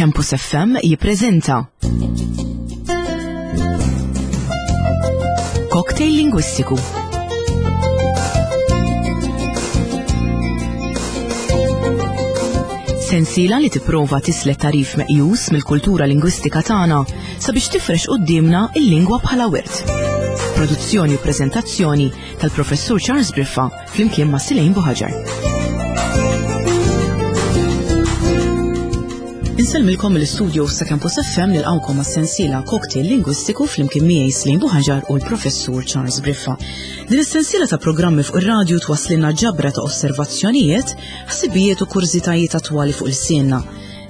Campus FM jippreżenta Cocktail Lingwistiku. Sensiela li tipprova tislet tarif meqjus mill-kultura lingwistika tagħna sabiex tifrex quddiemna il-lingwa bħala wirt. Produzzjoni u preżentazzjoni tal-Professur Charles Briffa flimkien ma' Silejn Buħaġar. Insellmilkom mill-istudio sa' Campus FM nilqawkom għas-sensiela Cocktail Lingwistiku flimkien miegħi Slejn Buħaġar u l-Professur Charles Briffa. Din is-sensiela ta' programmi fuq ir-radju twasslilna ġabra ta' osservazzjonijiet, ħsibijiet u kurżitajiet attwali fuq il-sienna.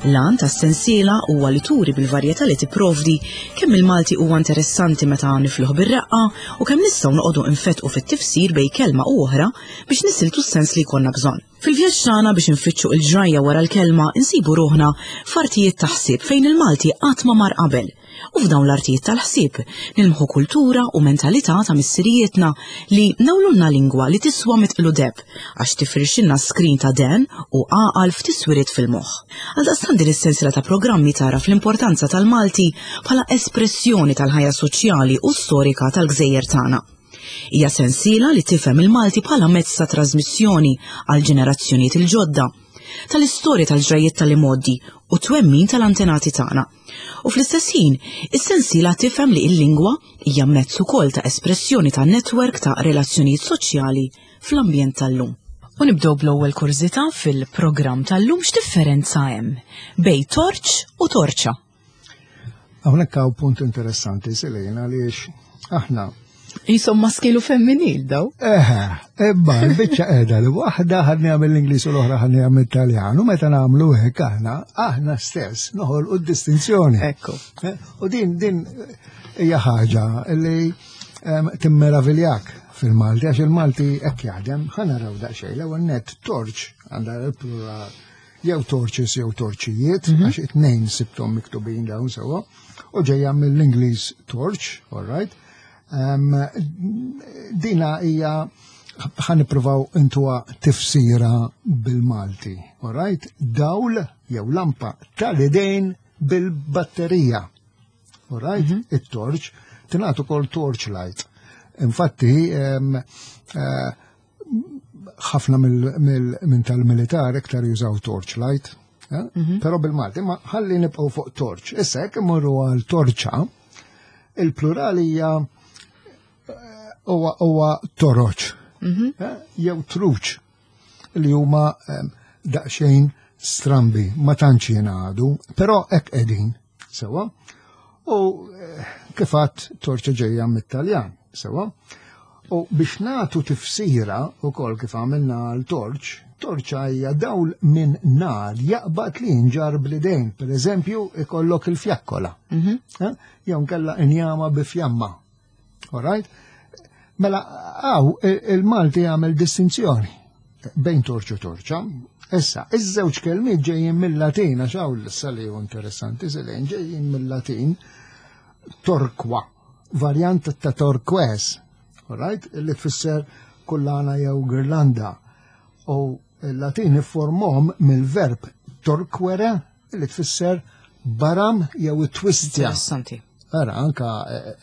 L-għan tas-sensiela huwa li turi bil-varjetà li tipprovdi kemm il-Malti huwa interessanti meta nifluh bir-reqqa u kemm nistgħu noqogħdu nfettqu fit-tifsir bejn kelma u oħra biex nisiltu s-sens li jkollna bżonn. Fil-vjaġġ tagħna biex infittxu il-ġrajja wara l-kelma insibu ruħna f'artijiet ta' ħsieb fejn il-Malti qatt ma mar qabel. U f'dawn l-artijiet tal-ħsieb nilmħu kultura u mentalità ta' missirijietna li nawlulna lingwa li tiswa mitqlu deb għax tifrixilna skrin ta' den u għaqal f'tiswiriet fil-moħħ. Għaldaqstant din is-sensiela ta' programmi tagħraf l-importanza tal-Malti bħala espressjoni tal-ħajja soċjali u storika tal-gżejjer tagħna. Hija sensiela li tifhem il-Malti bħala mezz ta' trasmissjoni għal ġenerazzjonijiet il-ġodda, tal-istorja tal-ġrajjiet tal-imgħoddi u twemmin tal-antenati tagħna. U fl-istess ħin, is-sensiela tifhem li l-lingwa hija mezz ukoll ta' espressjoni ta' netwerk ta' relazzjonijiet soċjali fl-ambjent tal-lum. U nibdew bl-ewwel kurżità fil-programm tal-lum x'differenza hemm bejn torċ u torċa. Hawnhekk hawn punt interessanti Selena għaliex aħna Jisom maskilu femminil daw. Eħe, imma l-biċċa qiegħda li waħda ħadni għamil l-Ingliż u l-oħra ħadni għamil Taljan u meta nagħmlu hekk aħna, aħna stess noħolqu d-distinzjoni. Ekku. Eh, u din din hija ħaġa li timmeraviljak fil-Malti għax il-Malti hekk jaħdem, ħa naraw daqsxejn l-ewwel net torċ għandha l-plural jew torches jew torċijiet, mhm. għax it-tnejn sibtom miktubin dawn sewwa, u ġejja mill-Ingliż torch, all right. Um, dina hija ħan nippruvaw intuha tifsira bil-Malti, all right? Dawl jew lampa tal-idejn bil-batterija. All right? Mm -hmm. It-torch tingħad ukoll torch light. Infatti, um, uh, ħafna minn tal-militar iktar jużaw torchlight, eh? mhm. però bil-Malti, ma ħalli nibqgħu fuq torch. Issa jekk imorru għal torċa, il-plural hija eh, huwa toroċ mhm. eh, jew truċ li huma daqsxejn strambi, ma tantx jingħadu, però hekk qegħdin. Sewa. U eh, kif għadt torċa ġejja mit-Taljan, sewa. U biex nagħtu tifsira ukoll kif għamilna għal torċ, torċa hija dawl minn nar jaqbad li jinġar bl-idejn. Per eżempju, ikollok il-fjakkola. Mhm. Eh? Jew nkella injama bi fjamma. All right? Mela, għaw, il-Malti għamel distinzjoni bejn torċ u torċa. Issa, iż-żewġ kelmiet ġejjin mill-Latin, għax hawn l-issa li hu interessanti, silejn ġejjin mill-Latin torqua, varjant ta' torques, all right? Li tfisser kullana jew girlanda. U l-Latin iffurmhom mill-verb torquere li tfisser baram jew it-twistja. Interessanti. Ara, anka eh,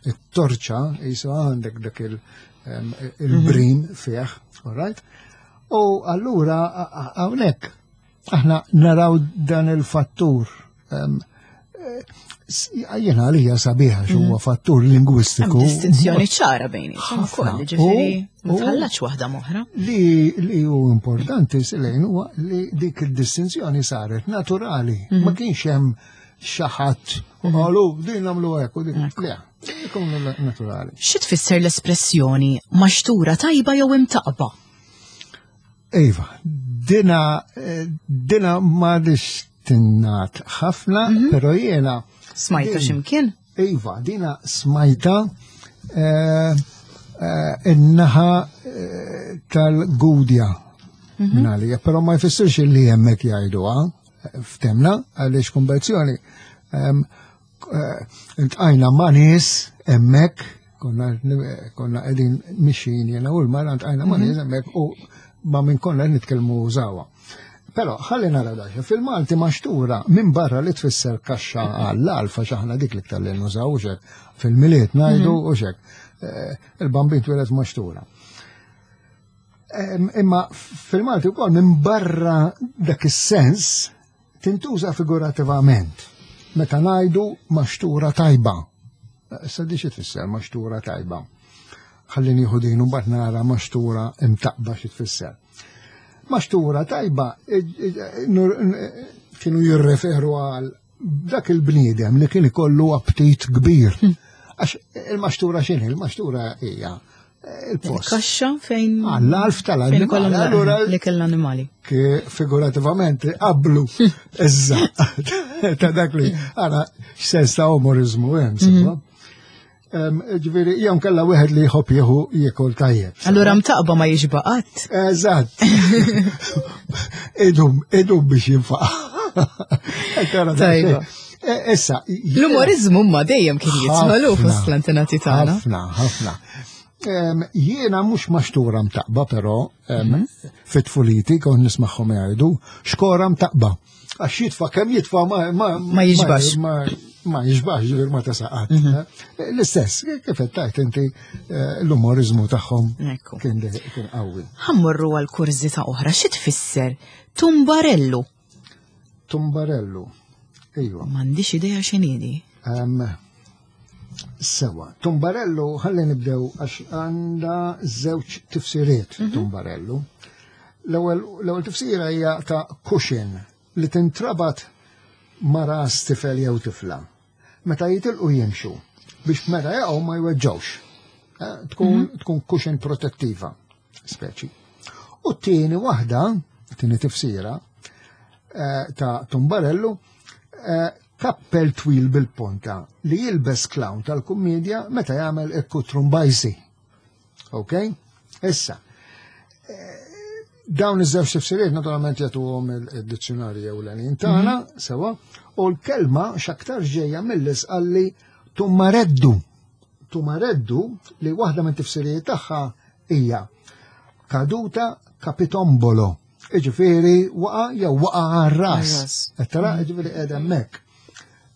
it-torċa jisu għandek dak il-brim mhm. fih, all right? U allura hawnhekk aħna naraw dan il-fattur eh, Jena għalija sabiħa xi huwa mhm. fattur lingwistiku. Distinzjoni ċara bejn ukoll, ġifieri ma tħallax waħda moħra. Li li hu importanti silejn huwa li dik id-distinzjoni saret naturali, mhm. ma kienx hemm xi ħadd u mhm. qalu din nagħmlu hekk u din le, ikun naturali. Xi tfisser l-espressjoni maxtura tajba jew imtaqba? Iva, dina dina ma tinnat ħafna, mm -hmm. pero jiena. Smajta ximkien? Iva, dina smajta eh, eh, in-naħa eh, tal-gudja mm -hmm. għalija, pero ma jfissirx li hemmhekk jgħiduha ftemna għaliex konverzjoni Intqajna ma' nies hemmhekk, konna konna qegħdin mixin jiena u l-mara ntqajna ma' nies mhm. hemmhekk u ma' min konna qed nitkellmu użawha. Però ħalli nara daċ, fil-Malti maxtura minn barra li tfisser kaxxa għall-alfa xaħna dik li ktar li nużaw u xek, fil-miliet ngħidu mhm. u xek. Eh, il-bambin twieled maxtura. Imma fil-Malti wkoll minn barra dak is-sens tintuża figurativament meta ngħidu maxtura tajba. Issa di xi tfisser maxtura tajba. Ħalli nieħu din u mbagħad nara maxtura imtaqba xi tfisser. Maxtura tajba kienu jirreferu għal dak il-bniedem li kien ikollu aptit kbir. Hmm. Għax il-maxtura x'inhi? Il-maxtura hija il-post. Kaxxa fejn. Għall-alf tal-annimali. Allura li kell animali. Figurativament qablu iżza ta' dak li għana x'sens ta' umorizmu hemm, mhm. Ġifieri, jew kella wieħed li jħobb jieħu jiekol tajjeb. Allura mtaqba ma jiġba qatt. Eżatt. Idum, idum biex jinfaqa. Tajba. E, issa. L-umorizmu ma dejjem kien jitmalu fost l-antenati tagħna. Ħafna, ħafna. Jiena mhux maxtura mtaqba però mhm. fit-tfuliti kont nismagħhom jgħidu xkora mtaqba. Għax jitfa' kemm jitfa' ma ma jiġbax. Ma jiġbax ġifier ma tasaqat. Mhm. Eh, l-istess, kif qed tgħid inti eh, l-umorizmu tagħhom kien qawwi. Ħammorru għal kurżità oħra, xi tfisser tumbarellu? Tumbarellu. Ejwa. M'għandix idea x'inhi. Sewa, tumbarellu ħalli nibdew għax għandha żewġ tifsiriet mhm. tumbarellu. L-ewwel tifsira hija ta' cushion li tintrabat ma' ras tifel jew tifla. Meta jitilqu jimxu biex meta jaqgħu ma jweġġawx. Eh, tkun mhm. tkun cushion protettiva speċi. U t-tieni waħda, t-tieni tifsira eh, ta' tumbarellu, eh, kappell twil bil-ponta li jilbes clown tal-kummedja meta jagħmel ikkutrumbajsi. Ok? Issa, eh, dawn iż-żewġ tifsiriet naturalment jagħtuhom il-dizzjonarji ewlenin tagħna, mhm. sewa, u l-kelma x'aktar ġejja mill-isqalli tummareddu. Tumareddu li waħda minn tifsirijiet tagħha hija kaduta kapitombolo. Iġifieri waqa jew waqa għar-ras. Qed tara mm. ġifieri qiegħda hemmhekk.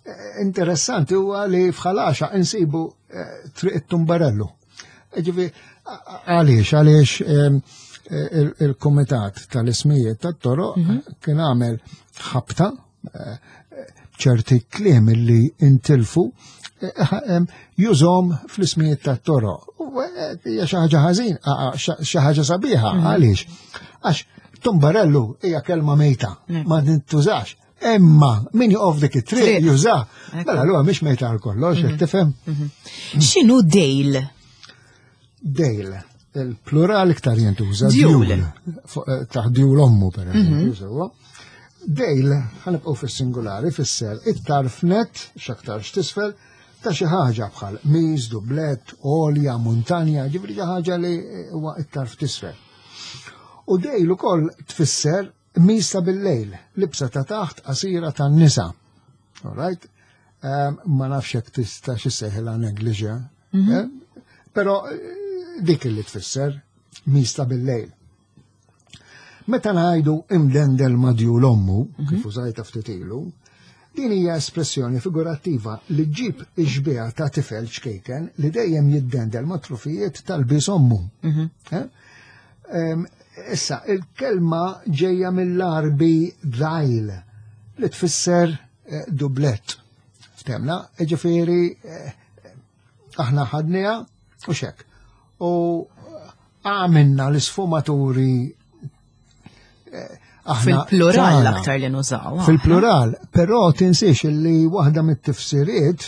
Eh, interessanti huwa li f'ħalaxa insibu eh, triq it-tumbarellu. Ġifieri għaliex għaliex ehm, eh, il-kumitat tal-ismijiet tat-toroq mhm. kien għamel ħabta ċerti kliem li intilfu eh, jużom fl-ismijiet ta' toro. Eh, hija xi ħaġa ħażin, xi ħaġa sabiħa, mhm. għaliex? Għax tumbarellu hija kelma mejta, mm. ma nintużax. Imma min joqof dik it-triq juża. Mela allura mhix mejta għal kollox, mhm. tifhem? Mhm. X'inhu dejl? Dejl, il-plural iktar jintuża. Djul. Eh, taħ djul ommu, per eżempju, mhm. sewwa. Dejl, ħanibqgħu fis-singolari, fisser it-tarf net, x'aktar x'tisfel, ta' xi ħaġa bħal miż, dublet, olja, muntanja, ġifri xi ħaġa li huwa it-tarf tisfel. U dejl ukoll tfisser miż ta' bil-lejl, libsa ta' taħt qasira tan-nisa. All right? Um, ma nafx jekk tista' xi seħilha negligé. Mm -hmm. Però eh, dik li tfisser mista bil-lejl. Meta ngħidu imdendel ma' djul ommu, mm -hmm. kif użajta ftit ilu, din hija espressjoni figurattiva li ġib ix-xbieha ta' tifel ċkejken li dejjem jiddendel ma' trufijiet tal-bies ommu. Mm -hmm. eh? Issa, il-kelma ġejja mill-Arbi dajl li tfisser eh, dublett. Ftemna, ġifieri eh, aħna ħadniha u xek. U għamilna l-isfumaturi eh, Fil-plural aktar li nużaw. Fil-plural, però tinsiex li waħda mit-tifsiriet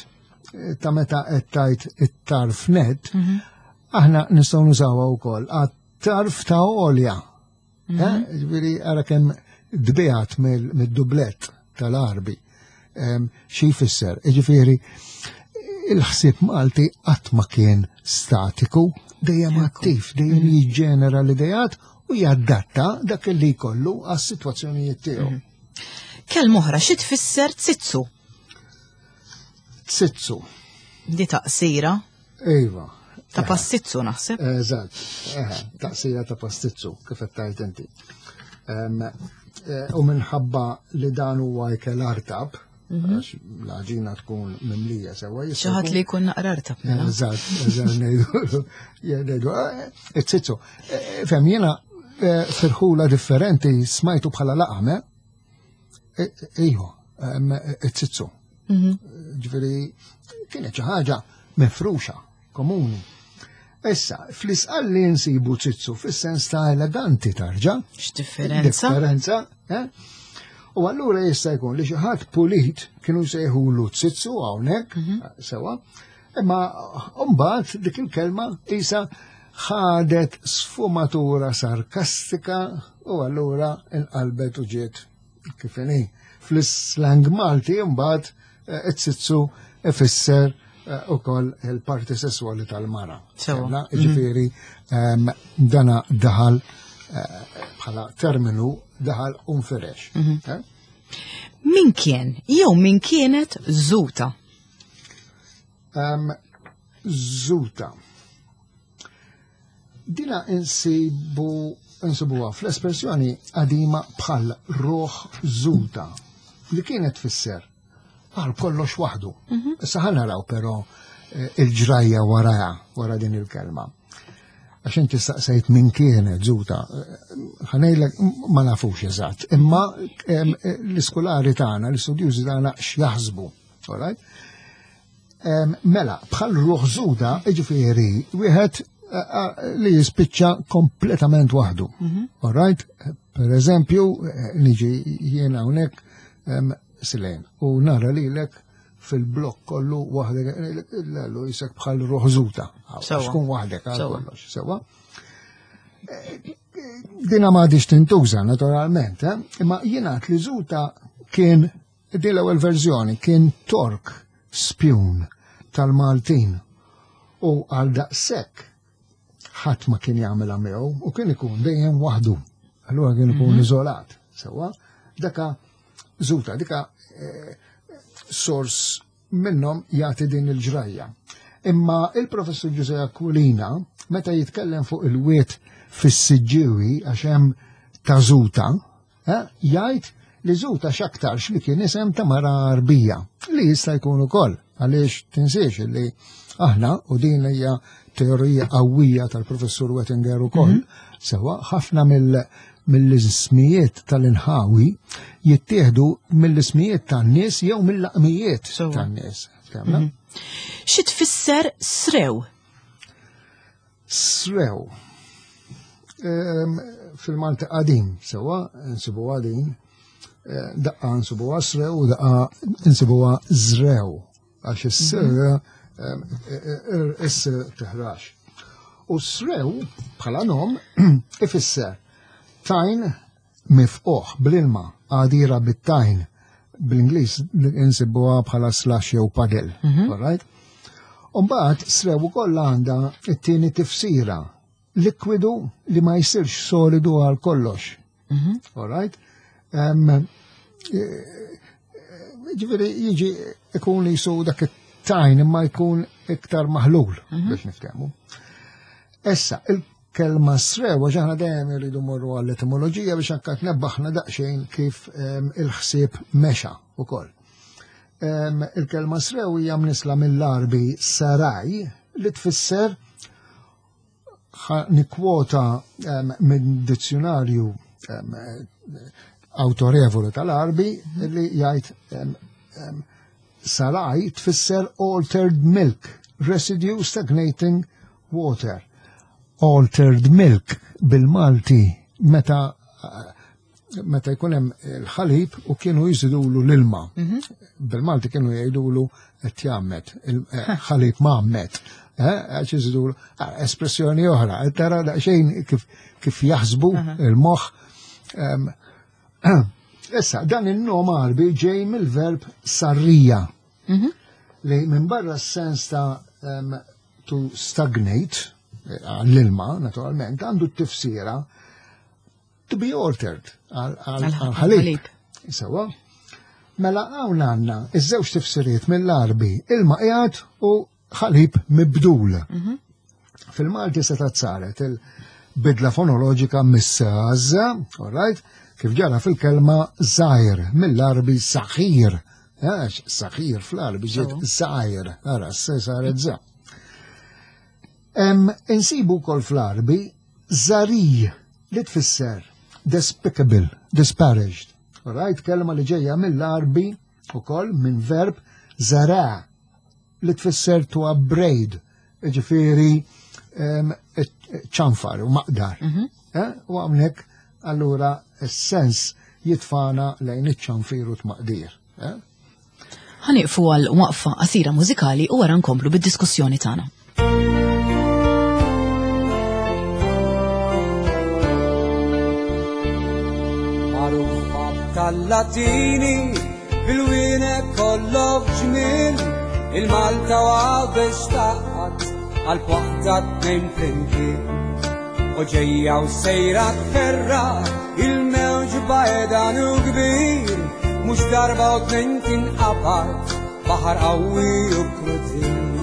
ta' meta qed tajt it-tarf net, mhm. aħna nistgħu nużawha wkoll għat-tarf ta' olja. Mhm. Eh, ġifieri ara kemm dbijat mid-dublett tal-Arbi. Xi jfisser? Ġifieri il-ħsieb Malti qatt ma kien statiku, dejjem attiv, dejjem mhm. jiġġenera l-idejat u jadatta dak li jkollu għas-sitwazzjonijiet tiegħu. Mhm. Kelma oħra xi tfisser tsitsu? Tsitsu. Di taqsira? Iva. Ta' pastizzu naħseb. Eżatt, taqsira ta' pastizzu, kif qed tgħid inti. U minħabba li dan huwa ikel artab, għax l-għaġina tkun mimlija sewa. Xi ħadd li jkun naqra artab. Mela. Eżatt, eżatt ngħidu, ngħidu, it-zizzu. Fem jiena firħula differenti smajtu bħala laqam, eh? Iħu, it-zizzu. Ġifieri kienet xi ħaġa mifruxa, komuni. Issa, fl-isqalli nsibu zizzu fis-sens ta' eleganti tarġa. X'differenza? Differenza, eh? U allura jista' jkun li xi ħadd pulit kienu jsejħulu zizzu hawnhekk, sewa, imma mbagħad dik il-kelma isa ħadet sfumatura sarkastika u allura inqalbet u ġiet kif inhi. Fl-slang Malti mbagħad it-zizzu ifisser ukoll il-parti sesswali tal-mara. Sewa. Ġifieri dana daħal bħala terminu daħal unfirex. Min kien jew min kienet Zuta? Zuta. Dina insibuha fl-espressjoni qadima bħal ruħ Zuta li kienet tfisser għal kollox waħdu. Issa ħa naraw però il-ġrajja waraha, wara din il-kelma. Għax inti staqsejt min kienet Zuta, ħa ngħidlek ma nafux eżatt, imma l-iskulari tagħna, l-istudjużi tagħna x'jaħsbu, all right? Mela, bħal ruħ Zuta, jiġifieri wieħed li jispiċċa kompletament waħdu. All right? Per eżempju, niġi jiena hawnhekk Silejn u nara lilek fil-blokk kollu waħdek, l jisek bħal ruħ Zuta. Xkun waħdek għal kollox, sewa. Dina ma għadix tintuża, naturalment, imma jingħad li Zuta kien, din l-ewwel verżjoni, kien Tork spjun tal-Maltin u għal daqshekk ħadd ma kien jagħmilha miegħu u kien ikun dejjem waħdu. Allura kien ikun iżolat, sewa. Daka Zuta, dika sors minnhom jagħti din il-ġrajja. Imma il-professur Giuseppe Aquilina, meta jitkellem fuq il-wiet fis-Siġġiewi għax hemm ta' Zuta, jgħid li Zuta x'aktarx li kien isem ta' mara Arbija, li jista' jkun ukoll, għaliex tinsiex li aħna, u din hija teorija qawwija tal-professur Wettinger ukoll, sewa ħafna mill-ismijiet tal-inħawi jittieħdu mill-ismijiet tan-nies jew mill-laqmijiet tan-nies. Fehmna? Xi tfisser srew? Srew. Fil-Malti qadim, sewa, nsibu qadim, daqqa nsibuha srew u daqqa nsibuha żrew, għax is-sir is-sir tiħrax. U srew bħala nom ifisser tajn mifquħ bl-ilma, għadira bit-tajn, bl-Ingliż insibuha bħala slash jew puddle, all right? Umbagħad srew ukoll għandha t-tieni tifsira, likwidu li ma jsirx solidu għal kollox. All right? Ġifieri jiġi ikun jisu dak it-tajn imma jkun iktar maħlul biex niftehmu. Issa, il-kelma srew, għax aħna dejjem irridu morru għall-etimoloġija biex anke tnebbaħna daqsxejn kif il-ħsieb mexa ukoll. Il-kelma srew hija mnisla mill-Arbi saraj li tfisser, nikwota minn dizzjonarju autorevoli tal-Arbi li jgħid saraj tfisser altered milk, residue stagnating water. Altered milk bil-Malti meta jkun hemm il-ħalib u kienu jżidulu l-ilma. Bil-Malti kienu jgħidulu qed jgħammed, il-ħalib mgħammed. Għax jżidulu, espressjoni oħra, qed tara daqsxejn kif jaħsbu il-moħħ. Issa, dan in-nom Arbi ġej mill-verb sarrija, li minn barra s-sens ta' to stagnate, għall-ilma, naturalment, għandu t-tifsira to be altered, għal-ħalib. Sewa. Mela hawn għandna iż-żewġ tifsiriet mill-Arbi, ilma qiegħed u ħalib mibdul. Fil-Malti se saret il-bidla fonoloġika mis-saż, all right? Kif ġara fil-kelma żgħir mill-Arbi saħir. Għax saħir fl-Arbi ġiet żgħir, ara se saret za. Insibu wkoll fl-Arbi żari li tfisser despicable, disparaged. Right, kelma li ġejja mill-Arbi ukoll minn verb zara li tfisser to upbraid, ġifieri ċanfar u maqdar. Mhm. Eh, u għamnek allura s-sens jitfana lejn iċ-ċanfir u tmaqdir. Eh? Ħaniqfu għal waqfa qasira mużikali u wara nkomplu bid-diskussjoni tagħna. Tal-Latini bil-wienek kollok ġmil il-Malta u għawdex taqgħad għal waħda tnejn flimkien. U ġejja u sejra tferra il-mewġ bajdan u kbir, mhux darba u tnejn tinqabad baħar qawwi u krudil.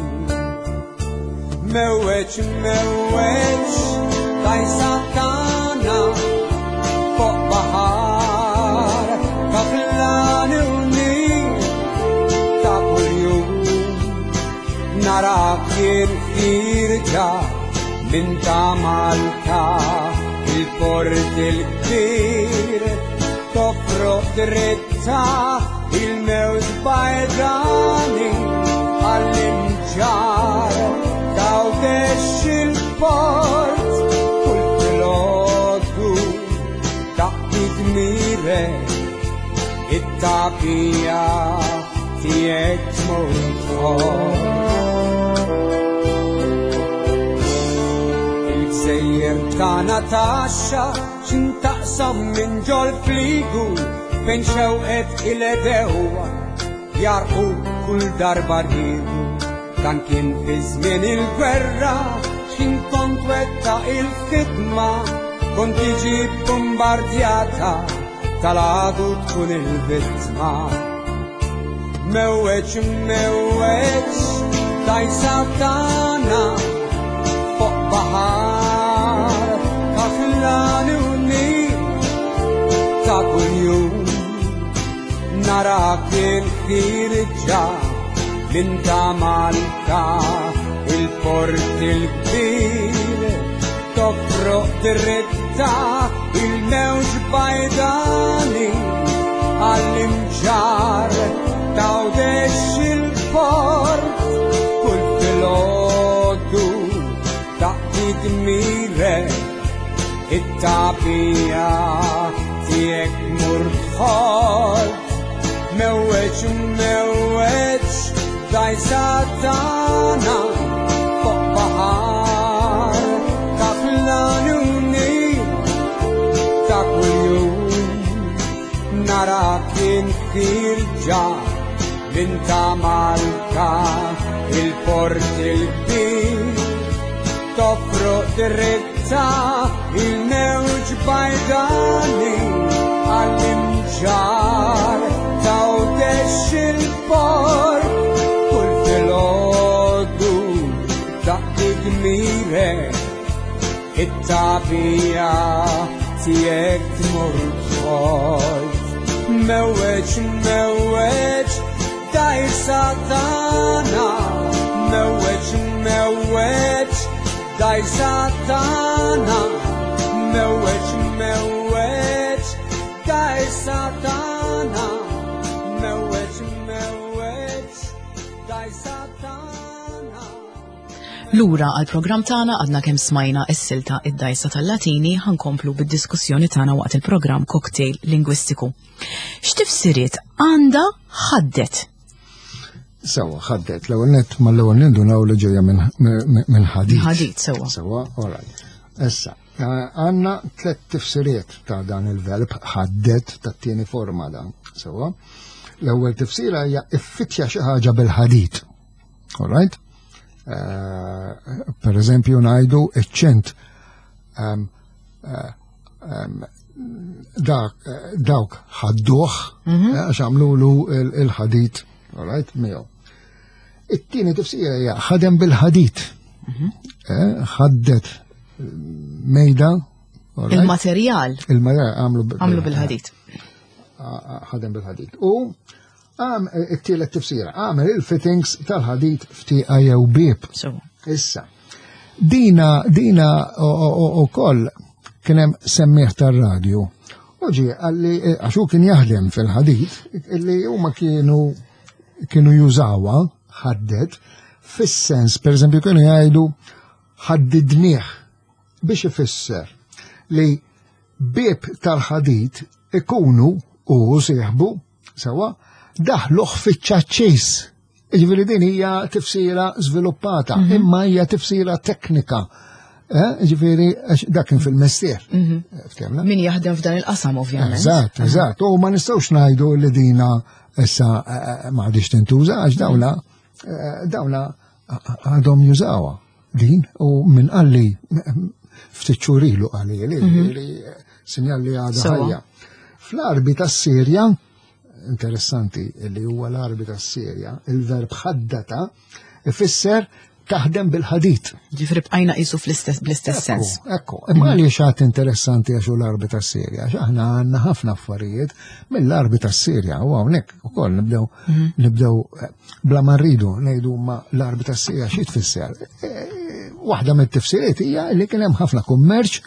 Mewweġ, mewweġ, dajsa tagħna fuq baħar kaflani u nil ta' kuljum. Narak jien ħirġa minn ta' Malta il-port il-kbir tofroq dritta il-mewġ bajdani għall-imġar tawdex il-port kull filgħodu taqdi dmirek it-tagħbija tiegħek tmur tħobb. Il-gżejjer tagħna taxxa x'intaqsam minn ġol fligu fejn xewqet il-edewwa jarqu kull darba rridu. Dan kien fi żmien il-gwerra x'kien kont wetta il-ħidma kont tiġi bombardjata tal-għadu tkun il-vittma. Mewweġ, mewweġ, dajsa tagħna fuq baħar kaħlani u nil ta' kuljum narak il-ħirġa minn ta' Malta il-port il-kbir tofroq dritta il-mewġ bajdani għall-imġar tawdex il-port kull filgħodu taqdi dmirek it-tagħbija tiegħek mur tħolt mewweġ mewweġ dajsa tagħna fuq baħar ta' flani u nil ta' kuljum narak ħirġa minn ta' Malta il-port il-kbir tofroq dritta il-mewġ bajdani għall-imġar tawdex il-port kull filgħodu taqdi dmirek it-tagħbija tiegħek tmur tħolt. Mewweġ, mewweġ, dajsa tagħna mewweġ, mewweġ, dajsa tagħna mewweġ, mewweġ, dajsa tagħna mewweġ, mewweġ, dajsa tagħna. Lura għal programm tagħna għadna kemm smajna s-silta id-dajsa tal-Latini ħankomplu bid-diskussjoni tagħna waqt il-programm Cocktail Lingwistiku. X'tifsiriet għandha ħaddet? Sewa, ħaddet. L-ewwel nett mal-ewwel nindunaw li ġejja minn ħadid. Ħadid, sewa. Sewa, all right. Issa, għandna tliet tifsiriet ta' dan il-verb ħaddet tat-tieni forma dan. Sewa. L-ewwel tifsira hija iffittja xi ħaġa bil-ħadid. All right? Per eżempju ngħidu iċ-ċent dawk ħadduh għax għamlulu il-ħadid, all right, miegħu. It-tieni tifsira hija ħadem bil-ħadid. Ħaddet mejda, Il-materjal. Il-materjal għamlu għamlu bil-ħadid. Ħadem bil-ħadid. U għam eh, it-tielet tifsira, għamel il-fittings tal-ħadid ftiqa jew bib. Issa, dina, dina u koll kienem semmiħ tar-radju. U ġie għalli, eh, għax hu kien jaħdem fil-ħadid, illi huma kienu kienu jużawa ħadded fis-sens, per eżempju, kienu jgħidu ħaddidnieh biex ifisser li bieb tal-ħadid ikunu u sieħbu sewa daħluh fiċ-ċaċċis. Ġifieri din hija tifsira żviluppata, mhm. imma hija tifsira teknika. Eh, ġifieri dak kien fil-mestier. Mhm. Eh, Min jaħdem f'dan il-qasam ovvjament. Eżatt, eżatt. U ma nistgħux ngħidu li dina issa eh, ma għadix tintuża għax dawla dawla għadhom jużawha din u minn qalli ftit xhur ilu qalli li mhm. li sinjal li għadha ħajja. Fl-arbi tas-Sirja, interessanti li huwa l-arbi tas-Sirja, il-verb ħaddata ifisser taħdem bil-ħadid. Ġifri bqajna qisu fl-istess bl-istess sens. Ekku, imma għaliex għad interessanti għax l-arbi tas-Sirja, għax aħna għandna ħafna affarijiet mill-arbi tas-Sirja u hawnhekk ukoll nibdew mhm. nibdew eh, bla ma rridu ngħidu ma l-arbi tas-Sirja xi tfisser. Eh, waħda mit-tifsiriet hija li kien hemm ħafna kummerċ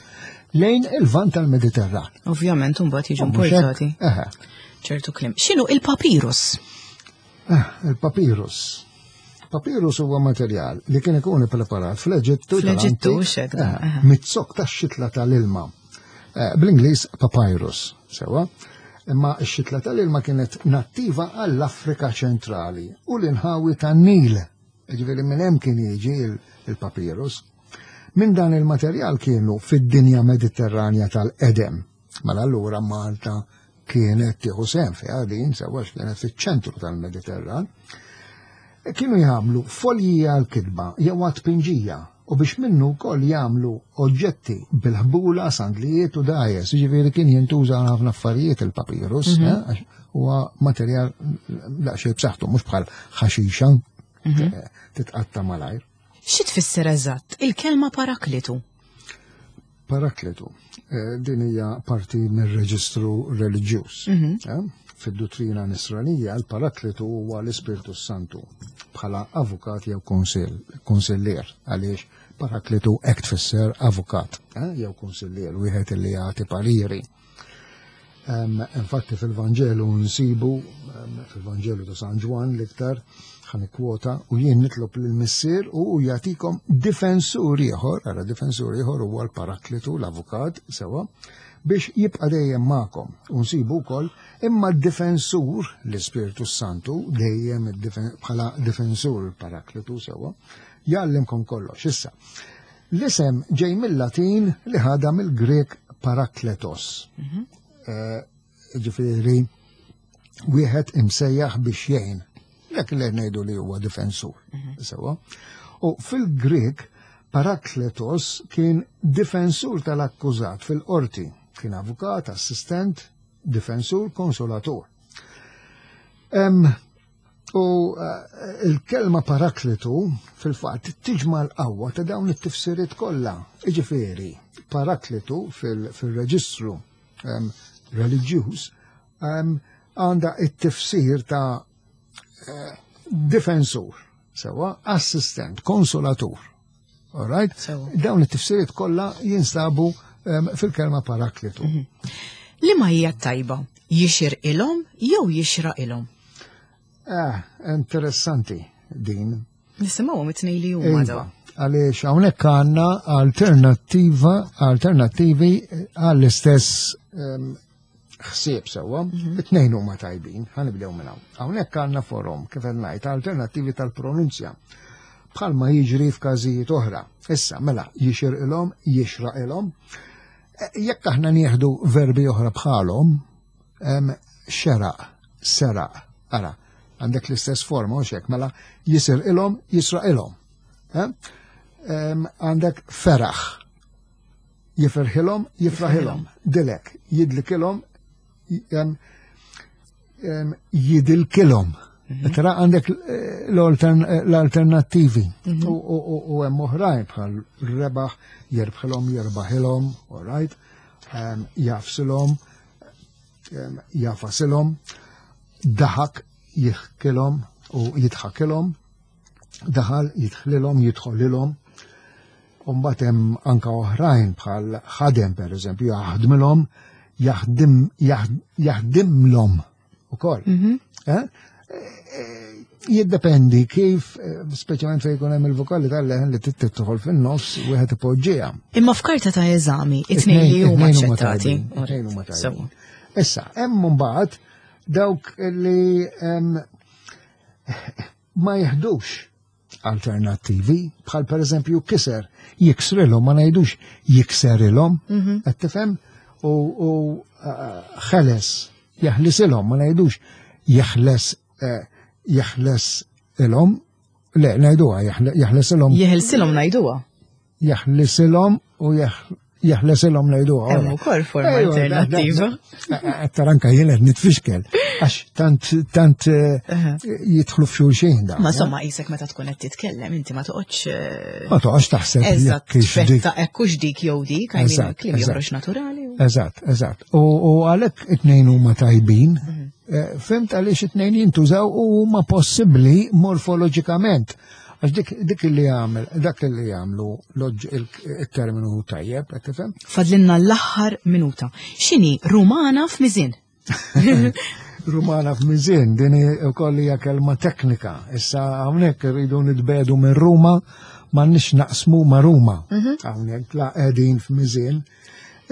lejn il-vant tal-Mediterran. Ovvjament, mbagħad jiġu importati. Ċertu klim. X'inhu il-papirus? Ah, il-papirus. Papirus huwa materjal li kien ikun ippreparat fl-Eġittu. Fl-Eġittu, xek. Eh, mit-zokk tax-xitla tal-ilma. Eh, bl-Ingliż papyrus, sewa. Imma x-xitla tal-ilma kienet nattiva għall-Afrika ċentrali u l-inħawi tan-Nil. Ġifieri minn hemm kien jiġi il-papirus. Minn dan il-materjal kienu fid-dinja Mediterranja tal-qedem. Mela allura Malta kienet tieħu sehem fiha din sewa kienet fiċ-ċentru tal-Mediterran. Kienu jagħmlu folji għal-kitba jew għat-tpinġija u biex minnu wkoll jagħmlu oġġetti bil-ħbula, sandlijiet u dajes, jiġifieri kien jintuża għal ħafna affarijiet il-papirus, mhm. eh, huwa materjal daqsxejn b'saħħtu mhux bħal ħaxixa mhm. eh, titqatta malajr. Xi tfisser eżatt il-kelma paraklitu? Paraklitu, eh, din hija parti mir-reġistru reliġjuż. Mhm. Eh, fid-duttrina nisranija, l-paraklitu huwa l-Ispirtu Santu bħala avukat jew konsillier, għaliex paraklitu hekk tfisser avukat eh, jew konsillier, wieħed li jagħti pariri. Infatti fil-Vanġelu nsibu, fil-Vanġelu ta' San Ġwann l-iktar, ħan kwota u jien nitlob lill-Missier u jagħtikom difensur ieħor, ara difensur ieħor huwa l-Paraklitu, l-avukat, sewa, biex jibqa' dejjem magħkom. U nsibu wkoll imma d-difensur, l-Ispirtu Santu, dejjem bħala difensur il-Paraklitu sewa, jgħallimkom kollox. Issa, L-isem ġej mill-Latin li ħadha mill-Grek parakletos. Mhm. Eh, ġifieri wieħed imsejjaħ biex jgħin. Dak li ngħidu li huwa difensur. Mhm. Sewa. U fil-Grek parakletos kien difensur tal-akkużat fil-qorti. Kien avukat, assistent, difensur, konsolatur. U eh, il-kelma paraklitu fil-fatt tiġma l-qawwa ta' dawn it-tifsiriet kollha. Iġifieri, paraklitu fil-reġistru ehm, reliġjuż ehm, għandha it-tifsir ta' eh, difensur, sewa assistent, konsolatur. All right? Dawn it-tifsiriet kollha jinstabu ehm, fil-kelma paraklitu. Mhm. Li ma hija tajba, jixir ilhom jew jixra ilhom? Eh, interessanti din. Nisimgħu it-tnej li huma iva, daw. Għaliex hawnhekk għandna alternattiva, alternattivi għall-istess ehm, ħsieb sewwa, mhm. it-tnejn huma tajbin, ħanibdew minn hawn. Hawnhekk għandna forom kif qed ngħid alternattivi tal-pronunzja bħalma jiġri f'każijiet oħra. Issa, mela, jixirqilhom, jixraqilhom. E, jekk aħna nieħdu verbi oħra bħalhom, xeraq, seraq, ara, għandek l-istess forma, u xek, mela jisirqilhom, jisraqilhom. Għandek feraħ, jifirħilhom, jifraħilhom, dilek, jidlikilhom, jidilkilhom. Mhm. Tara għandek eh, l-alternattivi mhm. u hemm oħrajn bħal rebaħ, jerbħilhom, jerbaħilhom, all right? Jafsilhom, jafasilhom, daħak jihkilhom u jidħakilhom, daħal jidħlilhom, jidħolilhom. U mbagħad hemm anka oħrajn bħal ħadem pereżempju jaħdmilhom, jaħdim jaħdimlhom ukoll. Mhm. Eh? Eh, jiddependi kif, eh, speċjalment fejn jkun hemm il-vokali tal-leħen li tidħol fin-nofs wieħed ipoġġiha. Imma f'karta ta' eżami, it-tnejn li huma aċċettati. Issa, hemm mbagħad dawk li ma jiħdux alternattivi, bħal per eżempju kiser, jiksrilhom, ma ngħidux jikserilhom, mhm. qed tifhem? U eh, ħeles, jeħlisilhom, ma ngħidux jeħles eh, jeħles ilhom, le ngħiduha jeħlesilhom. Jeħilsilhom ngħiduha. Jeħlisilhom u jeħlesilhom ngħiduha. Hemm ukoll forma alternattiva. Taranka jien qed nitfixkel għax tant tant eh, jidħlu f'xulxin da. Ma somma qisek meta tkun qed titkellem inti ma toqgħodx eh, Ma toqgħodx taħseb jekk dik. Hekk hux dik jew dik, għajmin kliem joħroġ naturali. Eżatt, eżatt. U għalhekk it-tnejn huma tajbin, mhm. eh, fimt għaliex it-tnejn jintużaw u huma possibbli morfoloġikament. Għax dik, dik li għamel, dak li għamlu il-terminu tajjeb, qed tifhem? Fadlinna l-aħħar minuta. X'inhi Rumana f'miżien? Rumana f'miżien, din ukoll hija kelma teknika. Issa hawnhekk irridu nitbedu minn Ruma, m'għandniex naqsmu ma' Ruma. Mhm. Hawnhekk la qegħdin f'miżien.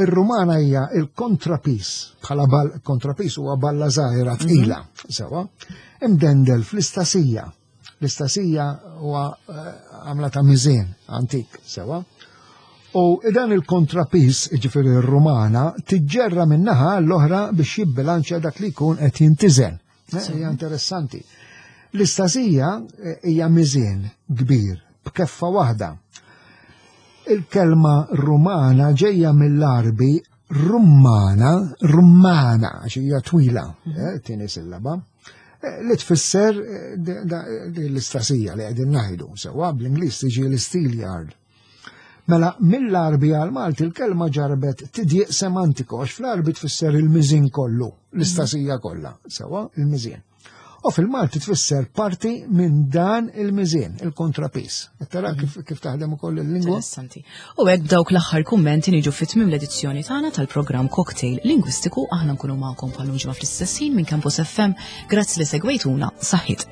Ir-Rumana hija il-kontrapis, bħala kontrapis huwa balla żgħira tqila, mhm. sewa, imdendel fl-istasija. L-istasija huwa eh, għamla ta' miżien antik sewa. U dan il-kontrapis, ġifieri r-Rumana, tiġġerra min-naħa l-oħra biex jibbilanċja dak li jkun qed jintiżen. Eh, hija interessanti. L-istasija eh, hija miżien kbir b'keffa waħda. Il-kelma Rumana ġejja mill-Arbi Rummana, Rummana, għax hija twila, mhm. tieni sillaba. Eh, li tfisser eh, l-istasija li qegħdin ngħidu, sewwa bl-Ingliż tiġi l-steel yard. Mela mill-Arbi għal Malti l-kelma ġarbet tidjiq semantiku għax fl-Arbi tfisser il-miżin kollu, l-istasija kollha, sewwa il-miżin. U fil-Malti tfisser parti minn dan il-miżien, il-kontrapis. Tara mhm. kif, kif taħdem ukoll il-lingwa. Interessanti. U hekk b'dawk l-aħħar kummenti niġu fit-tmiem l-edizzjoni tagħna tal-programm Cocktail Lingwistiku aħna nkunu magħkom bħal ġimgħa fl-istess ħin minn Campus FM. Grazzi li segwejtuna, saħħit.